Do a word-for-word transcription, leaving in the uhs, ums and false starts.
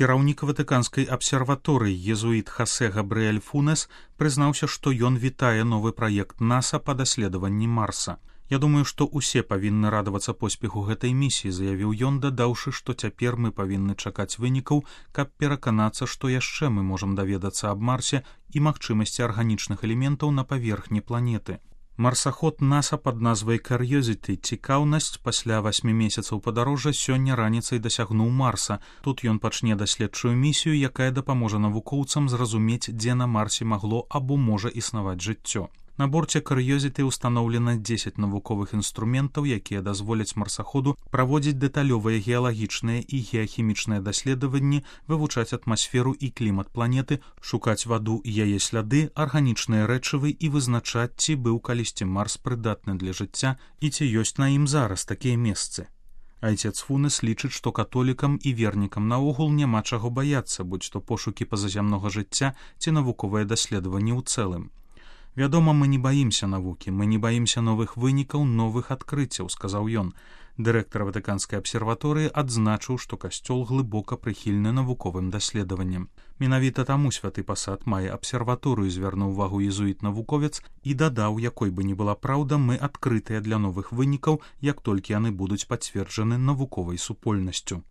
Кіраўнік ватыканскай абсерваторыі езуіт Хасе Габрыэль Фунес прызнаўся, што ён вітае новы праект НАСА па даследаванні Марса. «Я думаю, што ўсе павінны радавацца поспеху гэтай місіі», заявіў ён, дадаўшы, што цяпер мы павінны чакаць вынікаў, каб пераканацца, што яшчэ мы можам даведацца аб Марсе і магчымасці арганічных элементаў на паверхні планеты. Марсаход НАСА пад назвай Curiosity «Цікаўнасць» пасля васьмі месяцаў падарожжа сёння раніцай дасягнуў Марса. Тут ён пачне даследчую місію, якая дапаможа навукоўцам зразумець, дзе на Марсе магло або можа існаваць жыццё. На борце Curiosity ўстаноўлена дзесяць навуковых інструментаў, якія дазволяць марсаходу праводзіць дэталёвыя геалагічныя і геахімічныя даследаванні, вывучаць атмасферу і клімат планеты, шукаць ваду і яе сляды, арганічныя рэчывы і вызначаць, ці быў калісьці Марс прыдатны для жыцця і ці ёсць на ім зараз такія месцы. Айцец Фунес лічыць, што католікам і вернікам наогул няма чаго баяцца, будь то пошукі пазазямнога жыцця ці навуковыя даследаванні ў цэлым. «Вядома, мы не баімся навукі, мы не баімся новых вынікаў, новых адкрыццяў», сказаў ён. Дырэктар ватыканскай абсерваторыі адзначыў, што касцёл глыбока прыхільны навуковым даследаванням. Менавіта таму святы пасад мае абсерваторыю, звярнуў увагу езуіт-навуковец і дадаў, якой бы ні была праўда, мы адкрытыя для новых вынікаў, як толькі яны будуць пацверджаны навуковай супольнасцю.